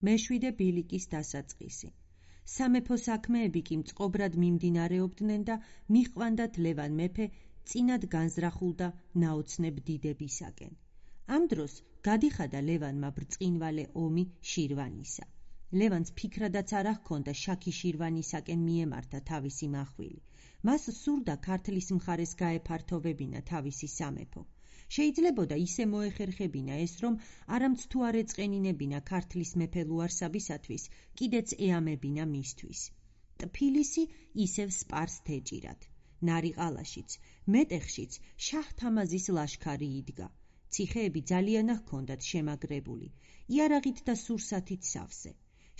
მეშვიდე ბილიკის დასაწყისი. სამეფო საქმეები კი მწყობრად მიმდინარეობდნენ და მიჰყვანდათ ლევან მეფე წინად განზრახულდა ნაოცნებ დიდებისაკენ. ამ დროს გადიხადა ლევანმა ბრწყინვალე ომი შირვანისა. ლევანს ფიქრადაც არ ჰქონდა შაქი შირვანისაკენ მიემართა თავისი მახვილი. მას სურდა ქართლის მხარეს გაეფართოვებინა თავისი სამეფო. შეიძლებოდა ისე მოეხერხებინა ეს, რომ არამც თუ არ ეწყენინებინა ქართლის მეფე ლუარსაბისათვის, კიდეც ეამებინა მისთვის. ტფილისი ისევ სპარსთ ეჭირათ. ნარიყალაშიც, მეტეხშიც შაჰ-თამაზის ლაშქარი იდგა. ციხეები ძალიანა ჰქონდათ შემაგრებული, იარაღით და სურსათით სავსე.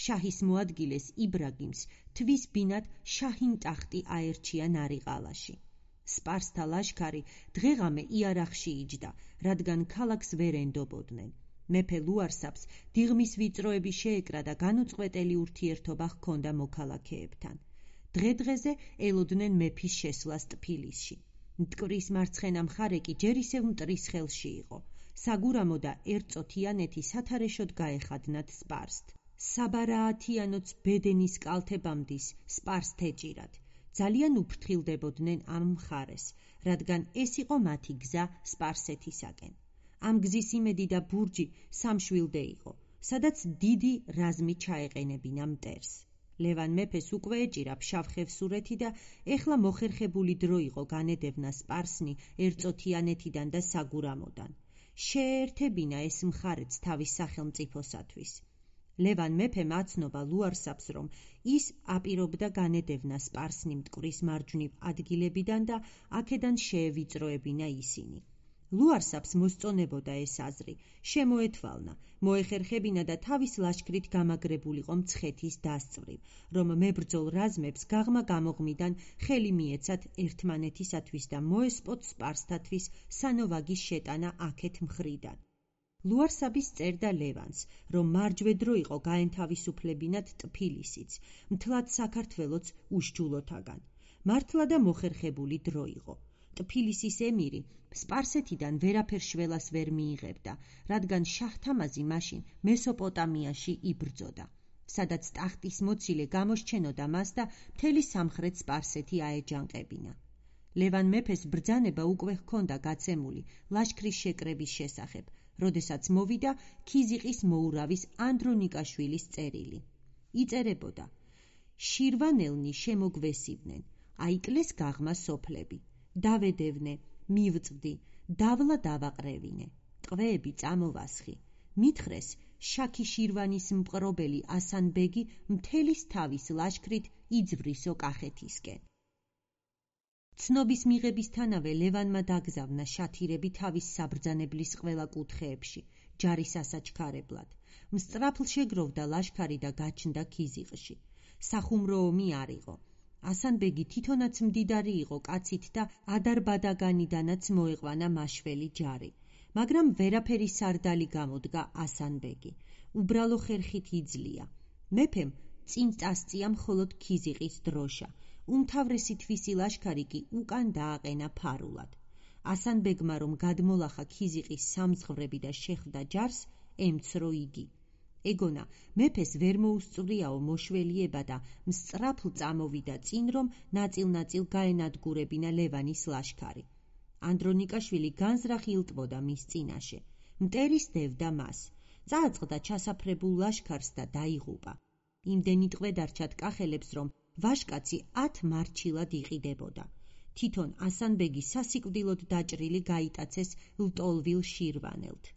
შაჰის მოადგილეს იბრაგიმს თვის ბინად შაჰინ-ტახტი აერჩია ნარიყალაში. სპარსთა ლაშქარი დღეღამე იარაღში იჯდა, რადგან ქალაქს ვერ ენდობოდნენ. მეფე ლუარსაბს დიღმის ვიწროები შეეკრა და განუწყვეტელი ურთიერთობა ჰქონდა მოქალაქეებთან. დღე-დღეზე ელოდნენ მეფის შესვლას ტფილისში. მტკვრის მარცხენა მხარე კი ჯერ ისევ მტრის ხელში იყო. საგურამო და ერწოთიანეთი სათარეშოდ გაეხადნათ სპარსთ. საბარაათიანოც ბედენის კალთებამდის სპარსთ ეჭირათ. ძალიან უფრთხილდებოდნენ ამ მხარეს, რადგან ეს იყო მათი გზა სპარსეთისაკენ. ამ გზის იმედი და ბურჯი სამშვილდე იყო, სადაც დიდი რაზმი ჩაეყენებინა მტერს. ლევან მეფეს უკვე ეჭირა ფშავ-ხევსურეთი და ეხლა მოხერხებული დრო იყო განედევნა სპარსნი ერწოთიანეთიდან და საგურამოდან. შეერთებინა ეს მხარეც თავის სახელმწიფოსათვის. ლევან მეფემ აცნობა ლუარსაბს, რომ ის აპირობდა განედევნა სპარსნი მტკვრის მარჯვნივ ადგილებიდან და აქედან შეევიწროებინა ისინი. ლუარსაბს მოსწონებოდა ეს აზრი, შემოეთვალნა, მოეხერხებინა და თავის ლაშქრით გამაგრებულიყო მცხეთის დასწვრივ, რომ მებრძოლ რაზმებს გაღმა გამოღმიდან ხელი მიეცათ ერთმანეთისათვის და მოესპოთ სპარსთათვის სანოვაგის შეტანა აქეთ მხრიდან. ლუარსაბის წერდა ლევანს, რომ მარჯვედრო იყო გაენთავისუფლებინათ ტფილისიც, მთლად საქართველოც უშჯულოთაგან. მართლა და მოხერხებული დრო იყო. ტფილისის ემირი სპარსეთიდან ვერაფერ შველას ვერ მიიღებდა, რადგან შაჰ-თამაზი მაშინ მესოპოტამიაში იბრძოდა, სადაც ტახტის მოცილე გამოსჩენოდა მას და მთელი სამხრეთ სპარსეთი აეჯანყებინა. ლევან მეფეს ბრძანება უკვე ჰქონდა გაცემული ლაშქრის შეკრების შესახებ, როდესაც მოვიდა ქიზიყის მოურავის ანდრონიკაშვილის წერილი. იწერებოდა: შირვანელნი შემოგვესივნენ, აიკლეს გაღმა სოფლები. დავედევნე, მივწვდი, დავლა დავაყრევინე, ტყვეები წამოვასხი. მითხრეს, შაქი შირვანის მპყრობელი ასანბეგი მთელის თავის ლაშქრით იძვრისო კახეთისკენ. ცნობის მიღებისთანავე ლევანმა დაგზავნა შათირები თავის საბრძანებლის ყველა კუთხეებში, ჯარის ასაჩქარებლად. მსწრაფლ შეგროვდა ლაშქარი და გაჩნდა ქიზიყში. სახუმრო ომი არ იყო. ასანბეგი თვითონაც მდიდარი იყო კაცით და ადარბადაგანიდანაც მოეყვანა მაშველი ჯარი. მაგრამ ვერაფერი სარდალი გამოდგა ასანბეგი. უბრალო ხერხით იძლია. მეფემ წინ წასწია მხოლოდ ქიზიყის დროშა. უმთავრესი თვისი ლაშქარი კი უკან დააყენა ფარულად. ასანბეგმა რომ გადმოლახა ქიზიყის სამძღვრები და შეხვდა ჯარს, ემცრო იგი. ეგონა, მეფეს ვერ მოუსწვრიაო მოშველიება და მსწრაფლ წამოვიდა წინ, რომ ნაწილ-ნაწილ გაენადგურებინა ლევანის ლაშქარი. ანდრონიკაშვილი განზრახ ილტვოდა მის წინაშე. მტერის დევდა მას. წააწყდა ჩასაფრებულ ლაშქარს და დაიღუპა. იმდენი ტყვე დარჩათ კახელებს, რომ ვაშკაცი 10 მარჩილად იყიდებოდა. თვითონ ასანბეგი სასიკვდილოდ დაჭრილი გაიტაცეს ლტოლვილ შირვანელთ.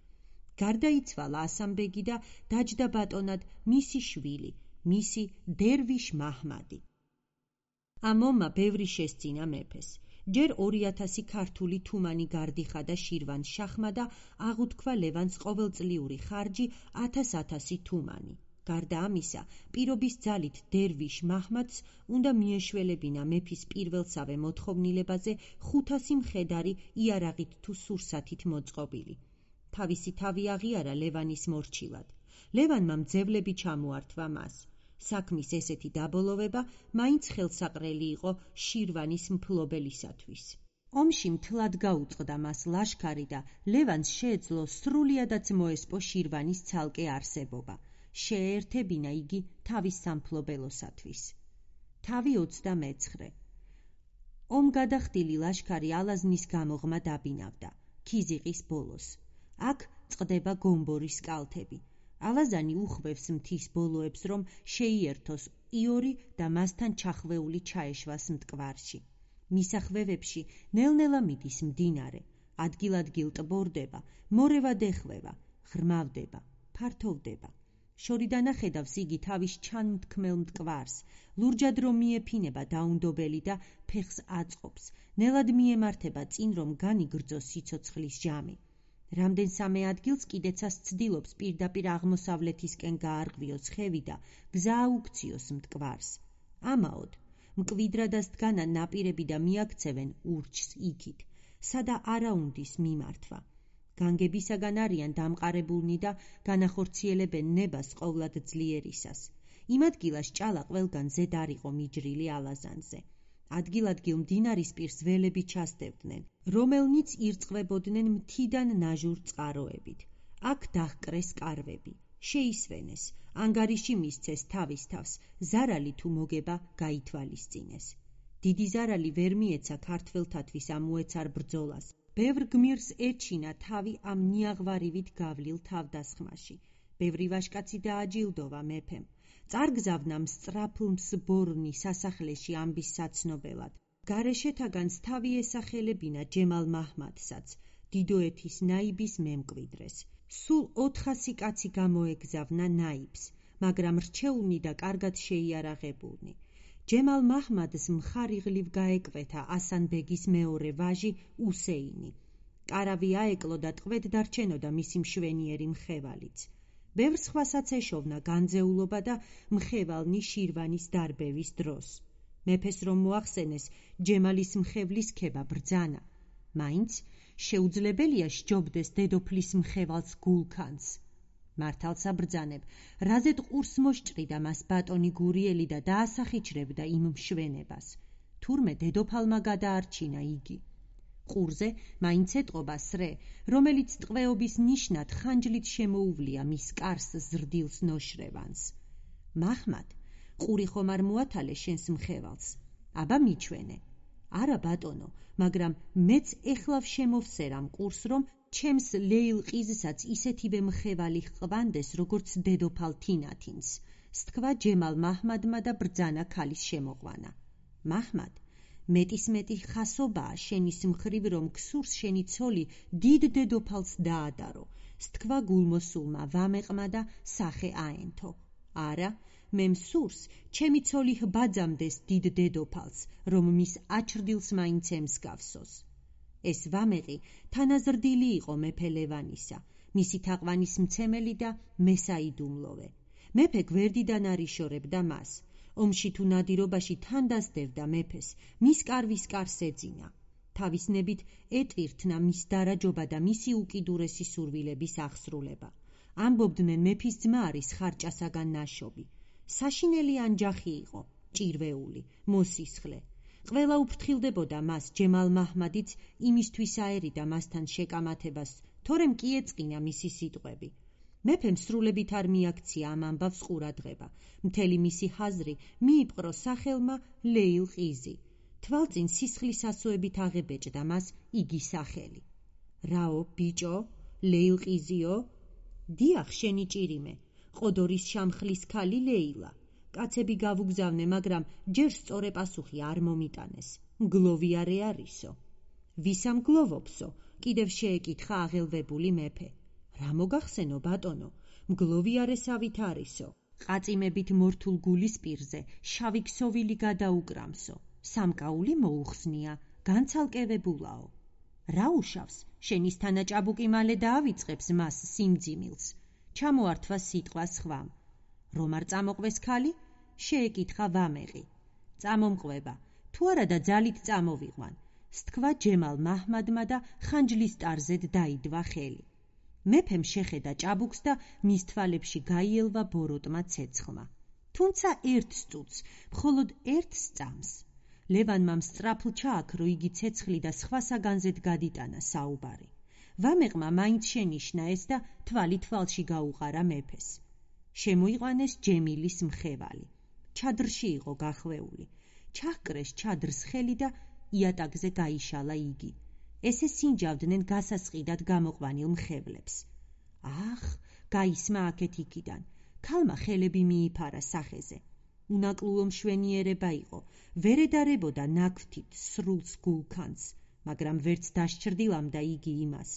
გარდაიცვალა ასანბეგი და დაჯდა ბატონად მისი შვილი, მისი დერვიშ მაჰმადი. ამ ომმა ბევრი შესწინა მეფეს. ჯერ 2000 ქართული თუმანი გარდიხადა შირვან-შაჰმა და აღუთქვა ლევანს ყოველწლიური ხარჯი 1000 თუმანი. გარდა ამისა, პირობის ძალით დერვიშ მაჰმადს უნდა მიეშველებინა მეფის პირველსავე მოთხოვნილებაზე 500 მხედარი იარაღით თუ სურსათით მოწყობილი. თავისი თავი აღიარა ლევანის მორჩილად. ლევანმა მძევლები ჩამოართვა მას. საქმის ესეთი დაბოლოვება მაინც ხელსაყრელი იყო შირვანის მფლობელისათვის. ომში მთლად გაუწყდა მას ლაშქარი და ლევანს შეეძლო სრულიადაც მოესპო შირვანის ცალკე არსებობა. შეეერთებინა იგი თავის სამფლობელოსათვის. თავი 29. ომგადახდილი ლაშქარი ალაზნის გამოღმა დაბინავდა, ქიზიყის ბოლოს. აქ წყდება გომბორის კალთები. ალაზანი უხვევს მთის ბოლოებს, რომ შეიერთოს იორი და მასთან ჩახვეული ჩაეშვას მტკვარში. მისახვევებში ნელ-ნელა მიდის მდინარე, ადგილ-ადგილ ტბორდება, მორევად ეხვევა, ღრმავდება, ფართოვდება. შორიდან ახედავს იგი თავის ჩანმთქმელ მტკვარს, ლურჯად რომ მიეფინება დაუნდობელი და ფეხს აწყობს, ნელად მიემართება წინ, რომ განიგრძოს სიცოცხლის ჟამი. რამდენსამე ადგილს კიდეცას ცდილობს პირდაპირ აღმოსავლეთისკენ გაარღვიოს ხევი და გზა აუქციოს მტკვარს. ამაოდ, მკვიდრადას დგანა ნაპირები და მიაქცევენ ურჩს იქით, სადა არა უნდის მიმართვა. განგებისაგან არიან დამყარებულნი და განახორციელებენ ნებას ყოვლად ძლიერისას. იმ ადგილას ჭალა ყველგან ზედ არ იყო მიჯრილი ალაზანზე. ადგილ-ადგილ მდინარის პირს ველები ჩასდევდნენ, რომელნიც ირწყვებოდნენ მთიდან ნაჟურ წყაროებით. აქ დაჰკრეს კარვები, შეისვენეს, ანგარიში მისცეს თავის თავს, ზარალი თუ მოგება გაითვალისწინეს. დიდი ზარალი ვერ მიეცა ქართველთათვის ამოეცარ ბრძოლას. ბევრ გმირს ეჩინა თავი ამ ნიაღვარივით გავლილ თავდასხმაში. ბევრი ვაჟკაცი დააჯილდოვა მეფემ. წარგზავნა მსწრაფლმსბორნი სასახლეში ამბის საცნობელად. გარეშეთაგანს თავი ესახელებინა ჯემალ მაჰმადსაც, დიდოეთის ნაიბის მემკვიდრეს. სულ 400 კაცი გამოეგზავნა ნაიბს, მაგრამ რჩეულნი და კარგად შეიარაღებულნი. ჯემალ მაჰმადს მხარიღლივ გაეკვეთა ასანბეგის მეორე ვაჟი უსეინი. კარავი აეკლო და ტყვედ დარჩენოდა მისი მშვენიერი მხევალიც. ბევრ სხვასაც ეშოვნა განძეულობა და მხევალნი შირვანის დარბევის დროს. მეფეს რომ მოახსენეს ჯემალის მხევლის ქება ბრძანა, მაინც შეუძლებელია სჯობდეს დედოფლის მხევალს გულქანს. მართალსა ბრძანებ, რაზედ ყურს მოსჭრიდა მას ბატონი გურიელი და დაასახიჩრებდა იმ მშვენებას. თურმე დედოფალმა გადაარჩინა იგი. ყურზე მაინც ეტყობა სრე, რომელიც ტყვეობის ნიშნად ხანჯლით შემოუვლია მის კარს ზრდილს ნოშრევანს. მაჰმად, ყური ხომ არ მოათალე შენს მხევალს? აბა მიჩვენე. არა ბატონო, მაგრამ მეც ეხლავ შემოვსერამ ყურს, რომ ჩემს ლეილყიზსაც ისეთივე მხევალი ჰყვანდეს, როგორც დედოფალ თინათინს. სთქვა ჯემალ მაჰმადმა და ბრძანა ქალის შემოყვანა. მაჰმად, მეტისმეტი ხასობაა შენის მხრივ, რომ ქსურს შენი ცოლი დიდ დედოფალს დაადარო. სთქვა გულმოსულმა ვამეყმა და სახე აენთო. არა, მე მსურს ჩემი ცოლი ჰბაძამდეს დიდ დედოფალს, რომ მის აჩრდილს მაინც ემსგავსოს. ეს ვამეყი თანაზრდილი იყო მეფე ლევანისა, მისი თაყვანის მცემელი და მესაიდუმლოვე. მეფე გვერდიდან არ იშორებდა მას. ომში თუ ნადირობაში თან დასდევდა მეფეს, მის კარვის კარს ეძინა. თავისნებით ეტვირთნა მის დარაჯობა და მისი უკიდურესი სურვილების აღსრულება. ამბობდნენ მეფის ძმა არის ხარჭასაგან ნაშობი. საშინელი ანჯახი იყო, ჭირვეული, მოსისხლე. ყველა უფრთხილდებოდა მას ჯემალ მაჰმადიც იმისთვის აერიდა მასთან შეკამათებას, თორემ კი ეწყინა მისი სიტყვები. მეფემ სრულებით არ მიაქცია ამ ამბავს ყურადღება. მთელი მისი ხაზრი მიიპყრო სახელმა ლეილყიზი. თვალწინ სისხლის ასოებით აღებეჭდა მას იგი სახელი. რაო, ბიჭო, ლეილყიზიო? დიახ, შენი ჭირიმე, ყოდორის შამხლის ქალი ლეილა. კაცები გავუგზავნე, მაგრამ ჯერ სწორე პასუხი არ მომიტანეს. მგლოვიარე არისო. ვისა მგლოვობსო? კიდევ შეეკითხა აღელვებული მეფე. რა მოგახსენო ბატონო, მგლოვიარესავით არისო. ყაწიმებით მორთულ გულის პირზე შავი ქსოვილი გადაუკრამსო. სამკაული მოუხსნია, განცალკევებულაო. რა უშავს, შენის თანაჭაბუკი მალე დაავიწყებს მას სიმძიმილს. ჩამოართვა სიტყვა სხვამ. რომ არ წამოყვეს ქალი? შეეკითხა ვამეყი. წამომყვება, თუ არა და ძალით წამოვიყვან. სთქვა ჯემალ მაჰმადმა და ხანჯლის ტარზედ დაიდვა ხელი. მეფემ შეხედა ჭაბუკს და მის თვალებში გაიელვა ბოროტმა ცეცხლმა. თუმცა ერთ სტუცს, მხოლოდ ერთს წამს. ლევანმა მსწრაფლ ჩააქრო იგი ცეცხლი და სხვა საგანზედ გადიტანა საუბარი. ვამეყმა მაინც შენიშნა ეს და თვალი თვალში გაუყარა მეფეს. შემოიყვანეს ჯემილის მხევალი. ჩადრში იყო გახვეული. ჩაჰკრეს ჩადრს ხელი და იატაკზე გაიშალა იგი. ესე სინჯავდნენ გასასყიდად გამოყვანილ მხევლებს. ახ, გაისმა აქეთ იქიდან. ქალმა ხელები მიიფარა სახეზე. უნაკლუო მშვენიერება იყო, ვერ ედარებოდა ნაქვთით სრულს გულქანს, მაგრამ ვერც დასჭრდილამდა იგი იმას.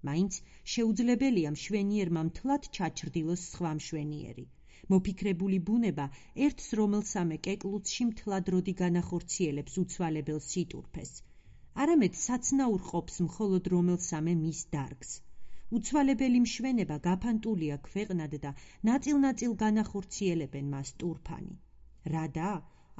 მაინც შეუძლებელია მშვენიერმა მთლად ჩაჩრდილოს სხვა მშვენიერი. მოფიქრებული ბუნება ერთს რომელსამე კეკლუცში მთლად როდი განახორციელებს უცვალებელ სიტურფეს. არამედ საცნაურ ყოფს მხოლოდ რომელსამე მის დარგს. უცვალებელი მშვენება გაფანტულია ქვეყნად და ნაწილ-ნაწილ განახორციელებენ მას ტურფანი. რადა?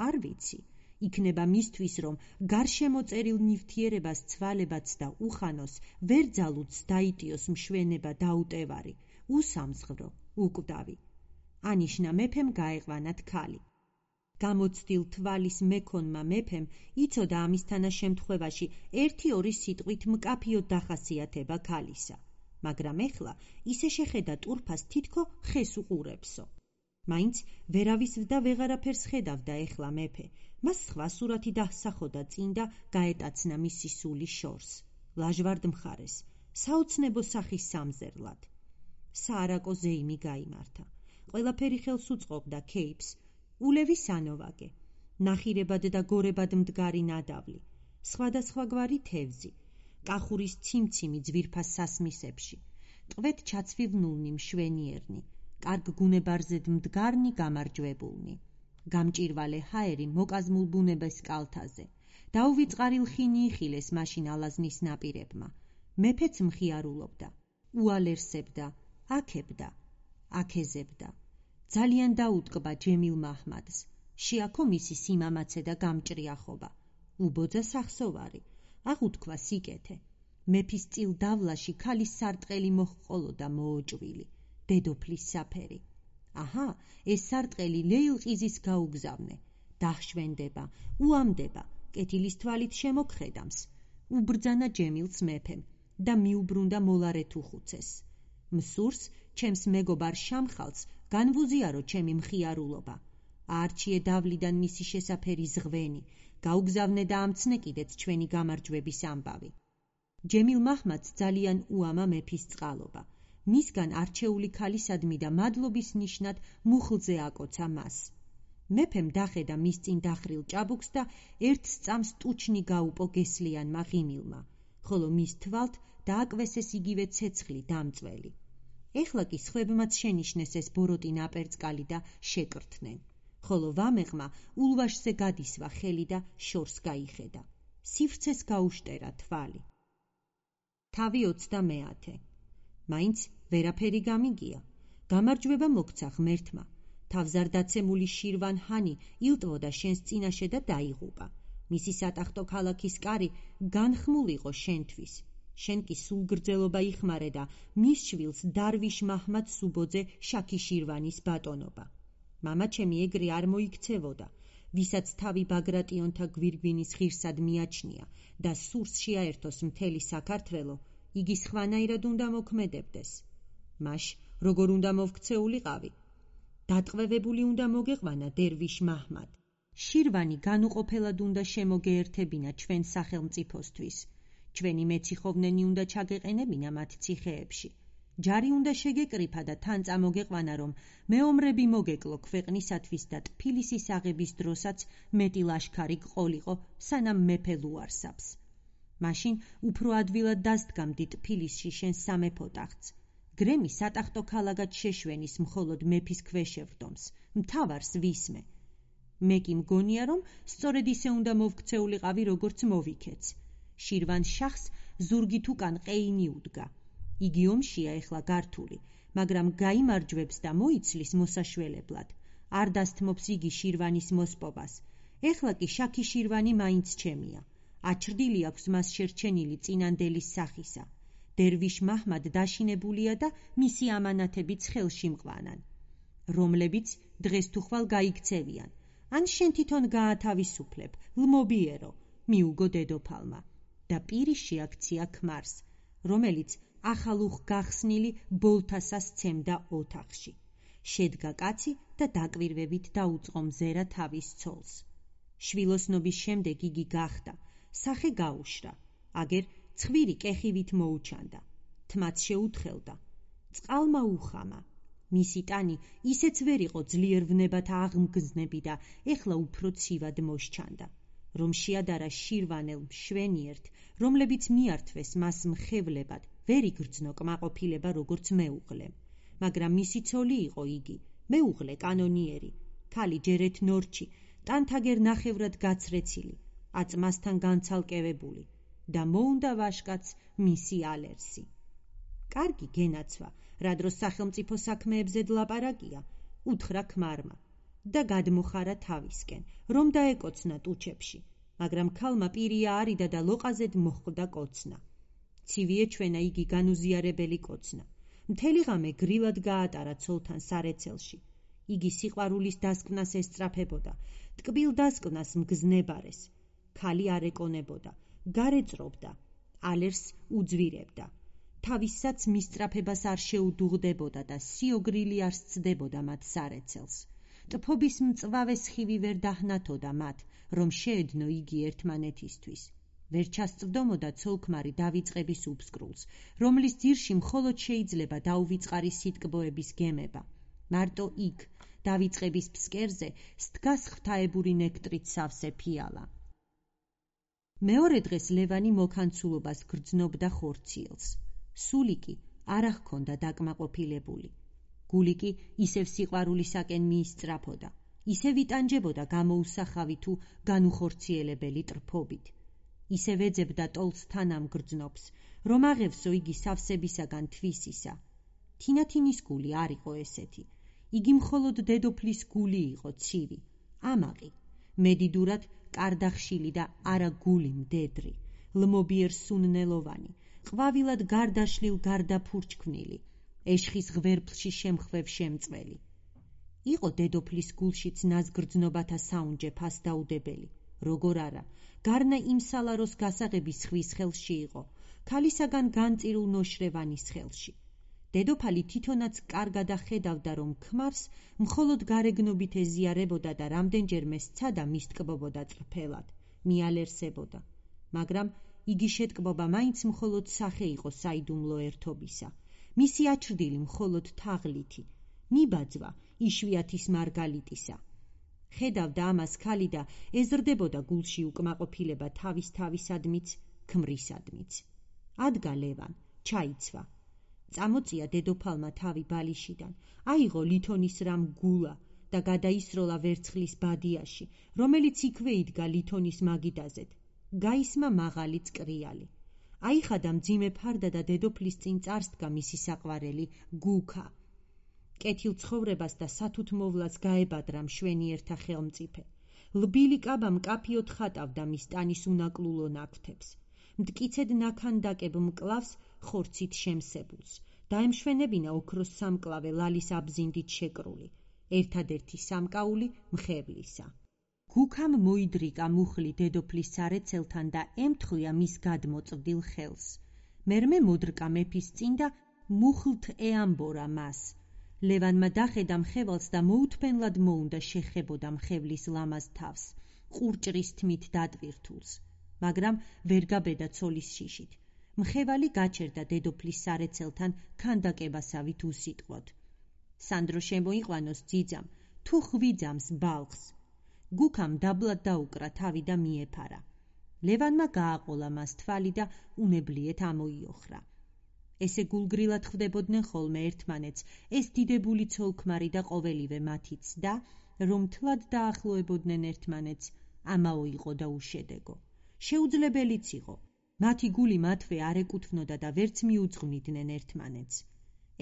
არ ვიცი. იქნება მისთვის, რომ გარშემოწერილ ნივთიერებას ცვალებაც და უხანოს ვერ ძალუც დაიტიოს მშვენება დაუტევარი, უსამსღვრო, უკვდავი. ანიშნა მეფემ გაეყვანათ ქალი. გამოცდილ თვალის მექონმა მეფემ იცოდა ამის თანაშემთხვევაში 1-2 სიტყვით მკაფიოდ დახასიათება ქალისა, მაგრამ ეხლა ისე შეხედა ტურფას თითქო ხეს უყურებსო. მაინც ვერავის და ვეღარაფერს ხედავდა ეხლა მეფე. მას სხვა სურათი დასახოდა წინ და გაეტაცნა მისი სული შორს, ლაჟვარდ მხარეს, საოცნებო სახის სამზერლად. საარაკო ზეიმი გაიმართა. ყველაფერი ხელს უწყობდა ქეიფს, ულევი სანოვაგე, ნახირებად და გორებად მდგარი ნადავლი, სხვადასხვაგვარი თევზი, კახურის ციმციმი ძვირფას სასმისებში, ტყვედ ჩაცვივნულნი მშვენიერნი, კარგ გუნებარზედ მდგარნი გამარჯვებულნი, გამჭირვალე ჰაერი მოკაზმულ ბუნებას კალთაზე, დაუვიწყარილ ხინი იხილეს მაშინ ალაზნის ნაპირებმა. მეფეც მხიარულობდა, უალერსებდა, აქებდა, აქეზებდა. ძალიან დაუტკბა ჯემილ მაჰმადს. შეაქო მისი სიმამაცე და გამჭრიახობა. უბოძა სახსოვარი, აღუთქვა სიკეთე. მეფის წილ დავლაში ქალის სარტყელი მოჰყოლოდა მოოჭვილი, დედოფლის საფერი. აჰა, ეს სარტყელი ლეილყიზის გაუგზავნე. დაჰშვენდება, უამდება, კეთილის თვალით შემოგხედამს. უბრძანა ჯემილს მეფემ და მიუბრუნდა მოლარეთ უხუცეს. მსურს, ჩემს მეგობარ შამხალს, განვუზიარო ჩემი მხიარულობა. აარჩიე დავლიდან მისი შესაფერი ზღვენი, გაუგზავნე და ამცნე კიდეც ჩვენი გამარჯვების ამბავი. ჯემილ მაჰმადს ძალიან უამა მეფის წყალობა. მისგან არჩეული ქალისადმი და მადლობის ნიშნად მუხლზე აკოცა მას. მეფემ დახედა მის წინ დახრილ ჭაბუკს და ერთ სწამს ტუჩნი გაუპო გესლიანმა ღიმილმა, ხოლო მის თვალთ დააკვესეს იგივე ცეცხლი დამწველი. ეხლა კი სხვებმაც შენიშნეს ეს ბოროტი ნაპერწკალი და შეკრთნენ, ხოლო ვამეყმა ულვაშზე გადისვა ხელი და შორს გაიხედა. სივრცეს გაუშტერა თვალი. თავი 30. მაინც ვერაფერი გამიგია. გამარჯვება მოგცა ღმერთმა. თავზარდაცემული შირვან ჰანი ილტვოდა შენს წინაშე და დაიღუპა. მისი სატახტო ქალაქის კარი განხმულ იყო შენთვის. შენ კი სულგრძელობა იხმარე და მის შვილს დარვიშ მაჰმად სუბოძე შაქი შირვანის ბატონობა. მამაჩემი ეგრე არ მოიქცევოდა, ვისაც თავი ბაგრატიონთა გვირგვინის ღირსად მიაჩნია და სურს შეაერთოს მთელი საქართველო, იგი სხვანაირად უნდა მოქმედებდეს. მაშ როგორ უნდა მოვქცეულიყავი? დატყვევებული უნდა მოგეყვანა დერვიშ მაჰმად. შირვანი განუყოფელად უნდა შემოგეერთებინა ჩვენ სახელმწიფოსთვის. ჩვენი მეციხოვნენი უნდა ჩაგეყენებინა მათ ციხეებში. ჯარი უნდა შეგეკრიფა და თან წამოგეყვანა, რომ მეომრები მოგეკლო ქვეყნისათვის და ტფილისის აღების დროსაც მეტი ლაშქარი გყოლიყო, სანამ მეფე ლუარსაბს. მაშინ უფრო ადვილად დასდგამდი ტფილისში შენ სამეფო ტახტს. გრემი სატახტო ქალაქად შეშვენის მხოლოდ მეფის ქვეშევრდომს, მთავარს ვისმე. მე კი მგონია, რომ სწორედ ისე უნდა მოვქცეულიყავი, როგორც მოვიქეც. შირვან შახს ზურგით უკან ყეინი უდგა. იგი ომშია ეხლა გართული, მაგრამ გაიმარჯვებს და მოიცლის მოსაშველებლად. არ დასთმობს იგი შირვანის მოსპობას. ეხლა კი შაქი შირვანი მაინც ჩემია. აჩრდილი აქვს მას შერჩენილი წინანდელის სახისა. დერვიშ მაჰმად დაშინებულია და მისი ამანათებიც ხელში მყვანან, რომლებიც დღეს თუ ხვალ გაიქცევიან. ან შენ თვითონ გაათავისუფლებ, ლმობიერო, მიუგო დედოფალმა და პირი შეაქცია ქმარს, რომელიც ახალუხ გახსნილი ბოლთასას ცემდა ოთახში. შედგა კაცი და დაკვირვებით დაუწყო მზერა თავის ცოლს. შვილოსნობის შემდეგ იგი გახდა, სახე გაუშრა, აგერ ცხვირი კეხივით მოუჩანდა, თმაც შეუთხელდა, წყალმა უხამა. მისი ტანი ისეც ვერ იყო ძლიერ ვნებათა აღმგზნები და ეხლა უფრო ცივად მოსჩანდა, რომ შეადარა შირვანელ მშვენიერთ, რომლებიც მიართვეს მას მხევლებად, ვერ იგრძნო კმაყოფილება როგორც მეუღლე. მაგრამ მისი ცოლი იყო იგი, მეუღლე კანონიერი, ქალი ჯერეთ ნორჩი, ტანთაგერ ნახევრად გაცრეცილი, აწმასთან განცალკევებული და მოუნდა ვაშკაც მისი ალერსი. კარგი გენაცვა, რა დროს სახელმწიფო საქმეებზე დლაპარაკია, უთხრა ქმარმა და გადმოხარა თავისკენ, რომ დაეკოცნა ტუჩებში, მაგრამ ქალმა პირია არიდა და ლოყაზედ მოხვდა კოცნა. ცივი ეჩვენა იგი განუზიარებელი კოცნა. მთელი ღამე გრილად გაატარა ცოლთან სარეცელში. იგი სიყვარულის დასკვნას ესწრაფებოდა, ტკბილ დასკვნას მგზნებარეს. ქალი არ ეკონებოდა, გარეწრობდა, ალერსს უძვირებდა. თავისსაც მისწრაფებას არ შეუდუღდებოდა და სიოგრილი არ სცდებოდა მათ სარეცელს. ტფობის მწვავე სხივი ვერ დაჰნათოდა მათ, რომ შეედნო იგი ერთმანეთისთვის. ვერ ჩასწვდომოდა ცოლ-ქმარი დავიწყების უბსკრულს, რომლის ძირში მხოლოდ შეიძლება დაუვიწყარი სიტკბოების გემება. მარტო იქ, დავიწყების ფსკერზე, სდგას ღვთაებური ნექტრით სავსე ფიალა. მეორე დღეს ლევანი მოკანცულობას გრძნობდა ხორციელს. სულიკი არ ჰქონდა დაკმაყოფილებული. გულიკი ისევ სიყვარულისაკენ მიისწრაფოდა, ისევ იტანჯებოდა გამოუსახავი თუ განუხორციელებელი ტრფობით. ისევ ეძებდა ტოლს თანამგრძნობს, რომ აღევსო იგი სავსებისაგან თვისისა. თინათინის გული არ იყო ესეთი. იგი მხოლოდ დედოფლის გული იყო ცივი, ამაყი, მედიდურად კარდახშილი და არა გული მდედრი, ლმობიერ სუნნელოვანი, ყვავილად გარდაშლილ გარდაფურჩქვნილი, ეშხის ღვერფლში შემხვევ შემწველი. იყო დედოფლის გულშიც ნაზგრძნობათა საუნჯე ფასდაუდებელი, როგორ არა, გარნა იმ სალაროს გასაღების ხვის ხელში იყო, ქალისაგან განწირულ ნოშრევანის ხელში. დედოფალი თვითონაც კარგად ხედავდა, რომ ქმარს მხოლოდ გარეგნობით ეზიარებოდა და რამდენჯერმე სცადა მისტკბობოდა ტრფელად, მიალერსებოდა, მაგრამ იგი შეტკბობა მაინც მხოლოდ სახე იყო საიდუმლო ერთობისა, მისი აჩრდილი მხოლოდ თაღლითი, მიბაძვა იშვიათის მარგალიტისა. ხედავდა ამას ქალი და ეზრდებოდა გულში უკმაყოფილება თავისადმიც, ქმრისადმიც. ადგა ლევან, ჩაიცვა. წამოწია დედოფალმა თავი ბალიშიდან, აიღო ლითონის რამ გულა და გადაისროლა ვერცხლის ბადიაში, რომელიც იქვე იდგა ლითონის მაგიდაზეთ. გაისმა მაღალი წკრიალი. აიხადა მძიმე ფარდა და დედოფლის წინ წარსდგა მისი საყვარელი გუქა. კეთილ ცხოვრებას და სათუთ მოვლას გაებადრა მშვენიერთა ხელმწიფე. ლბილი კაბა მკაფიოდ ხატავდა მის ტანის უნაკლულო ნაკვთებს. მტკიცედ ნაქანდაკებ მკლავს ხორცით შემსებულს. დაემშვენებინა ოქროს სამკლავე ლალის აბზინდით შეკრული, ერთადერთი სამკაული მხევლისა. გუქამ მოიდრიკა მუხლი დედოფლის სარეცელთან და ემთხვია მის გადმოწვდილ ხელს. მერმე მოდრკა მეფის წინ და მუხლთ ეამბორა მას. ლევანმა დახედა მხევალს და მოუთფენლად მოუნდა შეხებოდა მხევლის ლამაზ თავს, ყურჭრის თმით დატვირთულს, მაგრამ ვერ გაბედა ცოლის შიშით. მხევალი გაჩერდა დედოფლის სარეცელთან ქანდაკებასავით უსიტყვოდ. სანდრო შემოიყვანოს ძიძამ, თუ ხვიძამს ბალხს. გუქამ დაბლად დაუკრა თავი და მიეფარა. ლევანმა გააყოლა მას თვალი და უნებლიეთ ამოიოხრა. ესე გულგრილად ხვდებოდნენ ხოლმე ერთმანეთს ეს დიდებული ცოლ-ქმარი და ყოველივე მათი ცდა, რომ თლად დაახლოებოდნენ ერთმანეთს, ამაო იყო და უშედეგო. შეუძლებელიც იყო. მათი გული მათვე არ ეკუთვნოდა და ვერც მიუძღვნიდნენ ერთმანეთს.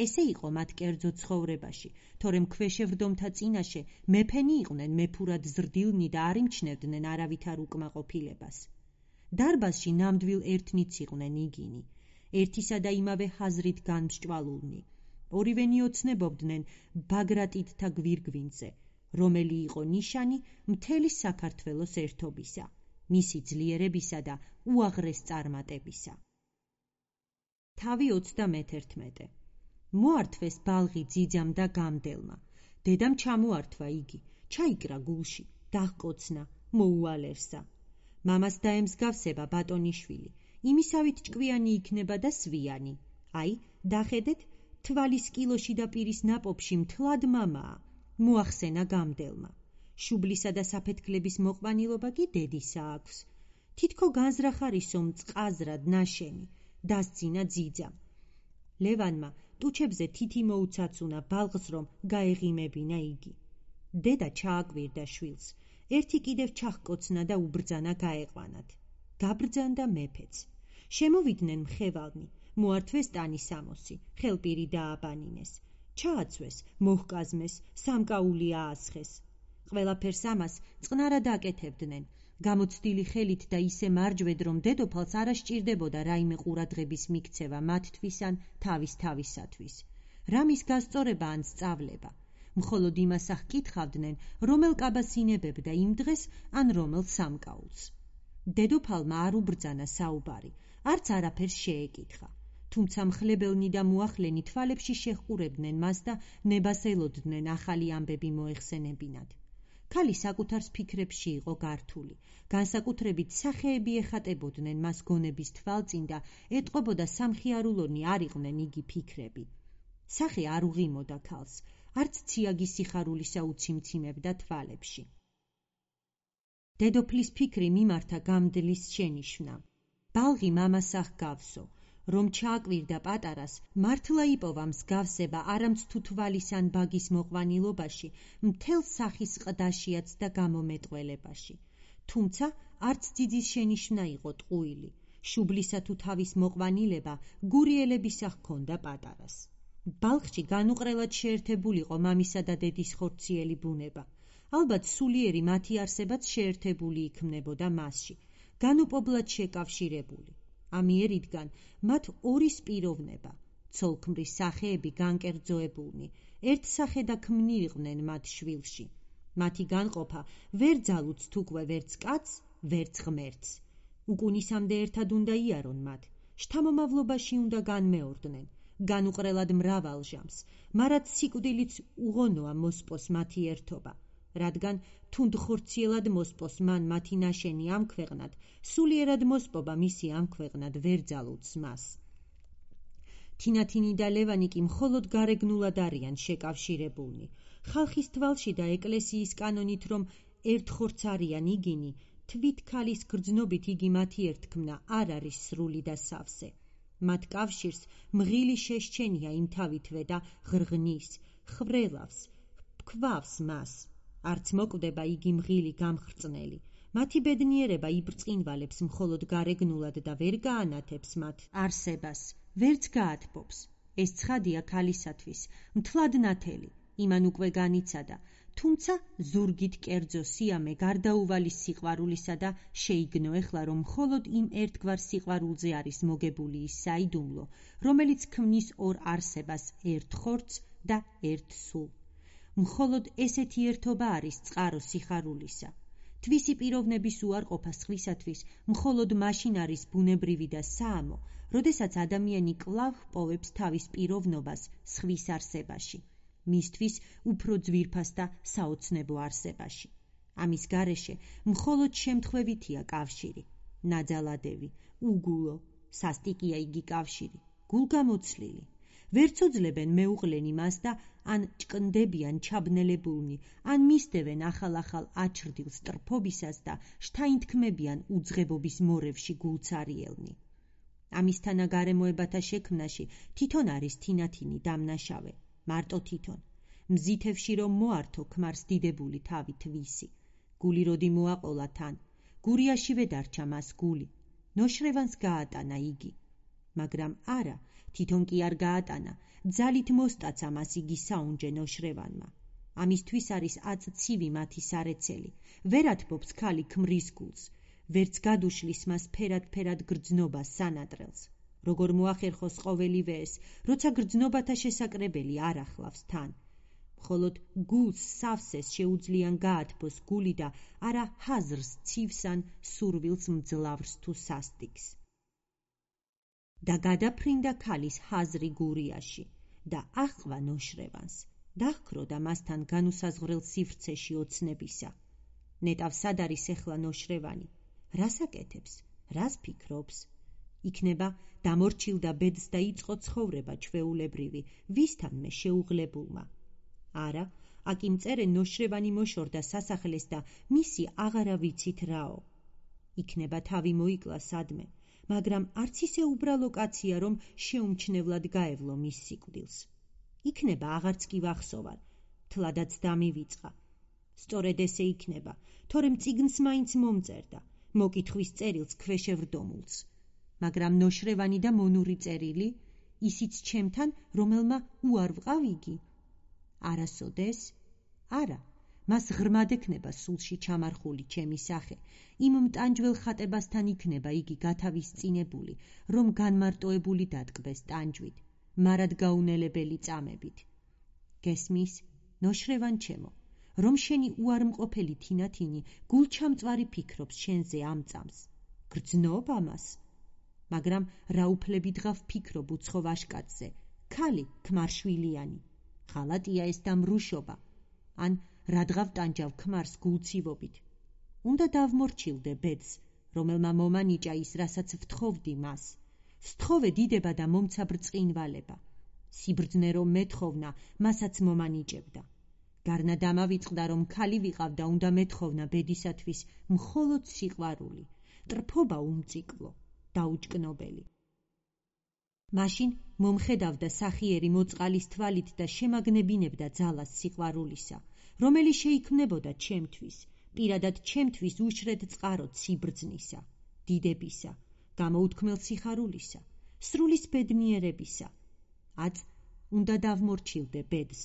ესე იყო მათ კერძო ცხოვრებაში, თორემ ქვეშევრდომთა წინაშე მეფენი იყვნენ მეფურად ზრდილნი და არ იმჩნევდნენ არავითარ უკმაყოფილებას. დარბაზში ნამდვილ ერთნიც იყვნენ იგინი, ერთისა და იმავე ჰაზრით განმსჭვალულნი. ორივენი ოცნებობდნენ ბაგრატიდთა გვირგვინზე, რომელი იყო ნიშანი მთელი საქართველოს ერთობისა, მისი ძლიერებისა და უაღრეს წარმატებისა. თავი 31. მოართვეს ბალღი ძიძამ და გამდელმა, დედამ ჩამოართვა იგი, ჩაიკრა გულში, დაჰკოცნა, მოუალერსა. მამას დაემსგავსება ბატონიშვილი, იმისავით ჭკვიანი იქნება და სვიანი. აი, დახედეთ, თვალის კილოში და პირის ნაპოფში მთლად მამაა, მოახსენა გამდელმა. შუბლისა და საფეთქლების მოყვანილობა კი დედისა აქვს. თითქო განზრახარისო მწყაზრად ნაშენი, დასძინა ძიძამ. ლევანმა ტუჩებზე თითი მოუცაცუნა ბალღს, რომ გაეღიმებინა იგი. დედა ჩააკვირდა შვილს, ერთი კიდევ ჩაჰკოცნა და უბრძანა გაეყვანათ. გაბრძანდა მეფეც. შემოვიდნენ მხევალნი, მოართვეს ტანისამოსი, ხელპირი დააბანინეს, ჩააცვეს, მოჰკაზმეს, სამკაული აასხეს. ყველაფერს ამას წყნარად აკეთებდნენ, გამოცდილი ხელით და ისე მარჯვედ, რომ დედოფალს არ ასჭირდებოდა რაიმე ყურადღების მიქცევა მათთვის ან თავისათვის. რამის გასწორება ან სწავლება. მხოლოდ იმას აღკითხავდნენ, რომელ კაბას ინებებდა იმ დღეს ან რომელ სამკაულს. დედოფალმა არ უბრძანა საუბარი, არც არაფერს შეეკითხა. თუმცა მხლებელნი და მოახლენი თვალებში შეჰყურებდნენ მას და ნებას ელოდნენ ახალი ამბები მოეხსენებინათ. ქალი საკუთარ ფიქრებში იყო გართული, განსაკუთრებით სახეები ეხატებოდნენ მას გონების თვალწინ და ეტყობოდა სამხიარულონი არ იყვნენ იგი ფიქრები. სახე არ უღიმოდა ქალს, არც ციაგი სიხარულისა უციმციმებდა თვალებში. დედოფლის ფიქრი მიმართა გამდლის შენიშვნა. ბალღი მამას აღგავსო, რომ ჩააკვირდა პატარას, მართლა იპოვა მსგავსება არამც თუ თვალის ან ბაგის მოყვანილობაში, მთელ სახის ყდაშიაც და გამომეტყველებაში. თუმცა არც ძიძის შენიშვნა იყო ტყუილი, შუბლისა თუ თავის მოყვანილება გურიელებისა ჰქონდა პატარას. ბალხში განუყრელად შეერთებულიყო მამისა და დედის ხორციელი ბუნება. ალბათ სულიერი მათი არსებაც შეერთებული იქმნებოდა მასში, განუპობრად შეკავშირებული. ამიერიდან მათ ორი სპიროვნება, ცოლქმრის სახეები განკერძოებულნი, ერთ სახედა ქმნილიყვნენ მათ შვილში. მათი განყოფა ვერ ძალუც თუკვე ვერც კაცს, ვერც ღმერთს. უკუნისამდე ერთად უნდა იარონ მათ, შთამომავლობაში უნდა განმეორდნენ, განუყრელად მრავალ ჟამს, მარად სიკვდილიც უღონოა მოსპოს მათი ერთობა, რადგან თუნდ ხორციელად მოსპოს მან მათი ნაშენი ამ ქვეყნად, სულიერად მოსპობა მისი ამ ქვეყნად ვერ ძალუძს მას. თინათინი და ლევანი კი მხოლოდ გარეგნულად არიან შეკავშირებულნი. ხალხის თვალში და ეკლესიის კანონით, რომ ერთხორც არიან იგინი, თვით ქალის გრძნობით იგი მათი ერთქმნა არ არის სრული და სავსე. მათ კავშირს მღილი შეშჩენია იმ თავითვე და ღრღნის, ხრელავს, ქვავს მას. არც მოკვდება იგი მღილი გამხრწნელი. მათი ბედნიერება იბრწყინვალებს მხოლოდ გარეგნულად და ვერ გაანათებს მათ არსებას, ვერც გაათბობს. ეს ცხადია ქალისათვის, მთლად ნათელი, იმან უკვე განიცადა, თუმცა ზურგით კერძო სიამე გარდაუვალი სიყვარულისა და შეიგნო ეხლა, რომ მხოლოდ იმ ერთგვარ სიყვარულზე არის მოგებული ის საიდუმლო, რომელიც ქმნის ორ არსებას, ერთ ხორცს და ერთ სულ. მხოლოდ ესეთი ერთობა არის წყარო სიხარულისა. თვისი პიროვნების უარყოფა სხვისათვის მხოლოდ მაშინ არის ბუნებრივი და საამო, როდესაც ადამიანი კვლავ ჰპოვებს თავის პიროვნობას სხვის არსებაში, მისთვის უფრო ძვირფას და საოცნებო არსებაში. ამის გარეშე მხოლოდ შემთხვევითია კავშირი, ნაძალადევი, უგულო, სასტიკია იგი კავშირი, გულგამოცლილი. ვერც უძლებენ მეუღლენი მას და ან ჭკნდებიან ჩაბნელებულნი, ან მისდევენ ახალ-ახალ აჩრდილ სტრფობისას და შთაინთქმებიან უძღებობის მორევში გულცარიელნი. ამისთანა გარემოებათა შექმნაში თვითონ არის თინათინი დამნაშავე, მარტო თვითონ. მზითევში რომ მოართო ქმარს დიდებული თავი თვისი. გული როდი მოაყოლა თან, გურიაშივე დარჩა მას გული, ნოშრევანს გაატანა იგი. მაგრამ არა, თვითონ კი არ გაატანა, ძალით მოსტაცა მას იგი საუნჯე ნოშრევანმა. ამისთვის არის აწცივი მათი სარეცელი, ვერ ათბობს ქალი ქმრის გულს, ვერც გადუშლის მას ფერად გრძნობა სანადრელს. როგორ მოახერხოს ყოველივე ეს, როცა გრძნობათა შესაკრებელი არ ახლავს თან. მხოლოდ გულს სავსეს შეუძლიან გაათბოს გული და არა ჰაზრს ცივს ან სურვილს მძლავრს თუ სასტიკს. და გადაფრინდა ქალის ჰაზრი გურიაში და აჰყვა ნოშრევანს, დაჰქრო და მასთან განუსაზღვრელ სივრცეში ოცნებისა. ნეტავ სად არის ეხლა ნოშრევანი? რას აკეთებს? რას ფიქრობს? იქნება დამორჩილდა ბედს და იწყო ცხოვრება ჩვეულებრივი, ვისთანმე შეუღლებულმა. არა, აქ იმ წერენ ნოშრევანი მოშორდა სასახლეს და მისი აღარა ვიცით რაო. იქნება თავი მოიკლა სადმე, მაგრამ არც ისე უბრალო კაცია, რომ შეუმჩნევლად გაევლო მის სიკვდილს. იქნება აღარც კი ვახსოვარ, თლადაც დამივიწყა. სწორედ ესე იქნება, თორემ წიგნს მაინც მომწერდა, მოკითხვის წერილს ქვეშევრდომულს. მაგრამ ნოშრევანი და მონური წერილი, ისიც ჩემთან, რომელმა უარ ვყავ იგი? არასოდეს? არა, მას ღრმად ექნება სულში ჩამარხული ჩემი სახე, იმ მტანჯველ ხატებასთან იქნება იგი გათავისწინებული, რომ განმარტოებული დატკბეს ტანჯვით, მარად გაუნელებელი წამებით. გესმის, ნოშრევან ჩემო, რომ შენი უარმყოფელი თინათინი გულჩამწვარი ფიქრობს შენზე ამ წამს. გრძნობ ამას? მაგრამ რა უფლებით ღავ ფიქრობ უცხო ვაშკაცზე, ქალი ქმარშვილიანი. ღალატია ეს და მრუშობა, ან რადგავ ტანჯავ ქმარს გულცივობით. უნდა დავმორჩილდე ბედს, რომელმა მომანიჭა ის, რასაც ვთხოვდი მას. სთხოვე დიდება და მომცა ბრწყინვალება. სიბრძნე რომ მეთხოვნა, მასაც მომანიჭებდა. გარნა დამავიწყდა, რომ ქალი ვიყავ და უნდა მეთხოვნა ბედისათვის მხოლოდ სიყვარული, ტრფობა უმციკლო, დაუჭკნობელი. მაშინ მომხედავდა სახიერი მოწყალის თვალით და შემაგნებინებდა ძალას სიყვარულისა, რომელიც შეიქმნებოდა ჩემთვის, პირადად ჩემთვის უშრედ წყაროდ სიბრძნისა, დიდებისა, გამოუთქმელ სიხარულისა, სრულის ბედნიერებისა. აწ, უნდა დავმორჩილდე ბედს.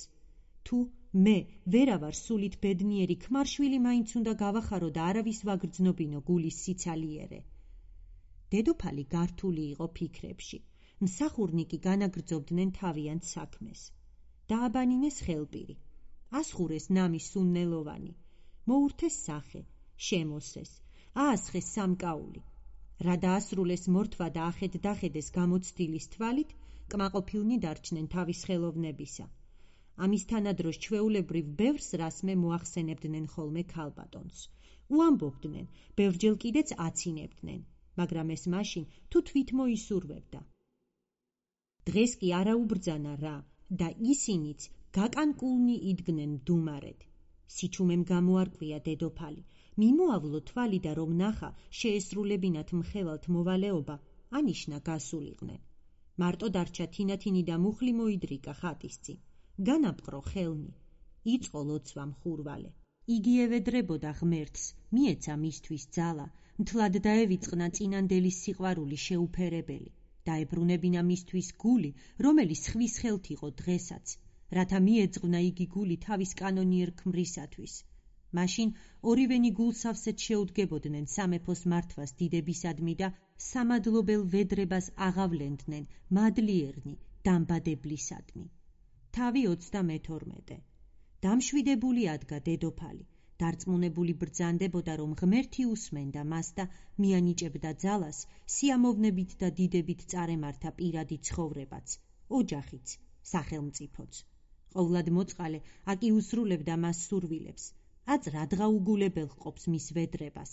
თუ მე ვერა ვარ სულით ბედნიერი, ქმარშვილი მაინც უნდა გავახარო და არავის ვაგრძნობინო გულის სიცალიერე. დედოფალი გართული იყო ფიქრებში. მსახურნიკი განაგრძობდნენ თავიანთ საქმეს. დააბანინეს ხელპირი, ასხურეს ნამი სუნნელოვანი, მოურთეს სახე, შემოსეს, აასხეს სამკაული. რა დაასრულეს მორთვა და ახედ-დახედეს გამოცდილის თვალით, კმაყოფილნი დარჩნენ თავის ხელოვნებისა. ამის თანადროს ჩვეულებრივ ბევრს რასმე მოახსენებდნენ ხოლმე ქალბატონს. უამბობდნენ, ბევრჯერ კიდეც აცინებდნენ, მაგრამ ეს მაშინ თუ თვით მოისურვებდა. დღეს კი არა უბრძანა რა და ისინიც გაკანკულნი იდგნენ მდუმარედ. სიჩუმემ გამოარკვია დედოფალი, მიმოავლო თვალი და რომ ნახა შეესრულებინათ მხევალთ მოვალეობა, ანიშნა გასულიყვნენ. მარტო დარჩა თინათინი და მუხლი მოიდრიკა ხატის წინ. განაპყრო ხელნი, იწყო ლოცვა მხურვალე. იგი ევედრებოდა ღმერთს, მიეცა მისთვის ძალა, მთლად დაევიწყნა წინანდელის სიყვარული შეუფერებელი. დაებრუნებინა მისთვის გული, რომელიც ხვის ხელთ იყო დღესაც, რათა მიეძღვნა იგი გული თავის კანონიერ ქმრისათვის. მაშინ ორივენი გულსავსეთ შეუდგებოდნენ სამეფოს მართვას დიდებისადმი და სამადლობელ ვედრებას აღავლენდნენ მადლიერნი დამბადებლისადმი. თავი 32. დამშვიდებული ადგა დედოფალი, დარწმუნებული ბრძანდებოდა, რომ ღმერთი უსმენდა მას და მიანიჭებდა ძალას, სიამოვნებით და დიდებით წარემართა პირადი ცხოვრებაც, ოჯახიც, სახელმწიფოც. ყოვლად მოწყალე აკი უსრულებდა მას სურვილებს, აწ რადგაუგულებელ ჰყოფს მის ვედრებას.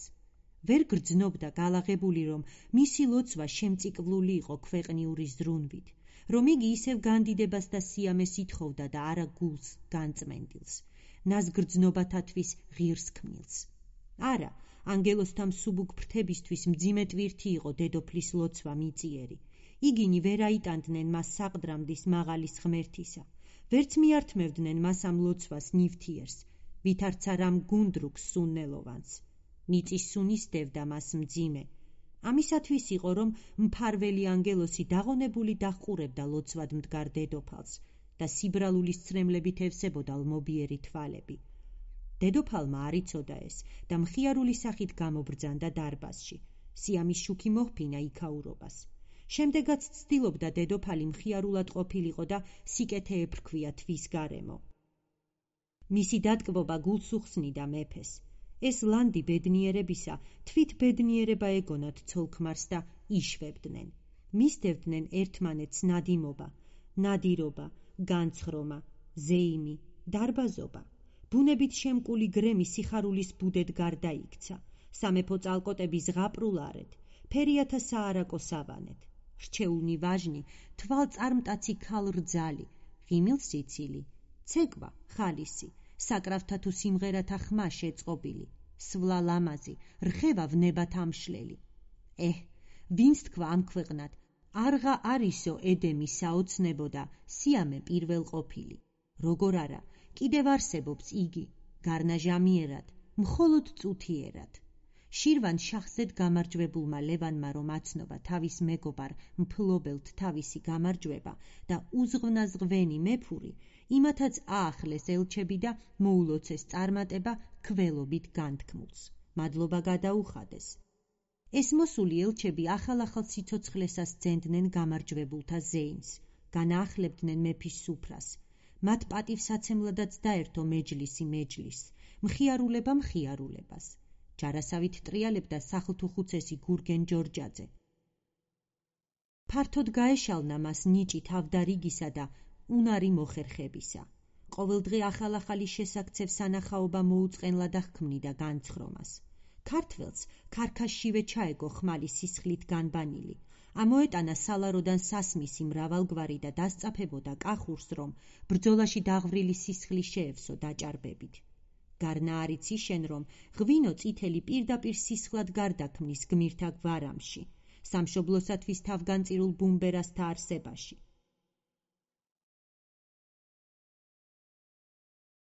ვერ გრძნობდა გალაღებული, რომ მისი ლოცვა შემწიკლული იყო ქვეყნიური ზრუნვით, რომ იგი ისევ განდიდებას და სიამეს ითხოვდა და არა გულს განწმენდილს, ნაზგრძნობათათვის ღირს ქმნილს. არა, ანგელოსთა მსუბუქ ფრთებისთვის მძიმე ტვირთი იყო დედოფლის ლოცვა მიწიერი. იგინი ვერ აიტანდნენ მას საყდრამდის მაღალის ღმერთისა, ვერც მიართმევდნენ მას ამ ლოცვას ნივთიერს, ვითარცა რამ გუნდრუქს სუნნელოვანს. მიწის სუნისდევდა მას მძიმე. ამისათვის იყო, რომ მფარველი ანგელოსი დაღონებული დაჰყურებდა ლოცვად მდგარ დედოფალს და სიბრალულის ცრემლებით ევსებოდა ლმობიერი თვალები. დედოფალმა არ იცოდა ეს და მხიარული სახით გამობრძანდა დარბაზში. სიამის შუქი მოჰფინა იქაურობას. შემდეგაც ცდილობდა დედოფალი მხიარულად ყოფილიყო და სიკეთე ეფრქვია თვის გარემო. მისი დატკბობა გულს უხსნიდა მეფეს. ეს ლანდი ბედნიერებისა თვით ბედნიერება ეგონათ ცოლ-ქმარს და იშვებდნენ. მისდევდნენ ერთმანეთს ნადიმობა, ნადირობა, განცხრომა, ზეიმი, დარბაზობა. ბუნებით შემკული გრემი სიხარულის ბუდედ გარდაიქცა. სამეფო წალკოტები ზღაპრულარეთ, ფერიათა საარაკო სავანეთ. რჩეულნი ვაჟნი, თვალწარმტაცი ქალ-რძალი, ღიმილ სიცილი, ცეკვა, ხალისი, საკრავთა თუ სიმღერათა ხმა შეწყობილი, სვლა ლამაზი, რხევა ვნებათ ამშლელი. ვინც თქვა ამ ქვეყნად, არღა არისო ედემი საოცნებო და სიამე პირველ ყოფილი. როგორ არა, კიდევ არსებობს იგი, გარნაჟამიერად, მხოლოდ წუთიერად. შირვან შაჰზედ გამარჯვებულმა ლევანმა რომ აცნობა თავის მეგობარ მფლობელთ თავისი გამარჯვება და უზღვნაზღვენი მეფური, იმათაც აახლეს ელჩები და მოულოცეს წარმატება ქველობით განთქმულს. მადლობა გადაუხადეს. ეს მოსული ელჩები ახალ-ახალ სიცოცხლესას ძენდნენ გამარჯვებულთა ზეიმს, განაახლებდნენ მეფის სუფრას. მათ პატივსაცემლადაც დაერთო მეჯლისი მეჯლისს, მხიარულება მხიარულებას. ჯარასავით ტრიალებდა სახლთუხუცესი გურგენ ჯორჯაძე. ფართოდ გაეშალნა მას ნიჭი თავდარიგისა და უნარი მოხერხებისა. ყოველდღე ახალ-ახალი შესაქცევ სანახაობა მოუწყენლა და ჰქმნიდა განცხრომას. ქართველს ქარქაშშივე ჩაეგო ხმალი სისხლით განბანილი. ამოეტანა სალაროდან სასმისი მრავალგვარი და დასწაფებოდა კახურს, რომ ბრძოლაში დაღვრილი სისხლი შეევსო დაჭარბებით. გარნა არიცი შენ, რომ ღვინო წითელი პირდაპირ სისხლად გარდაქმნის გმირთა გვარამში, სამშობლოსათვის თავგანწირულ ბუმბერასთა არსებაში.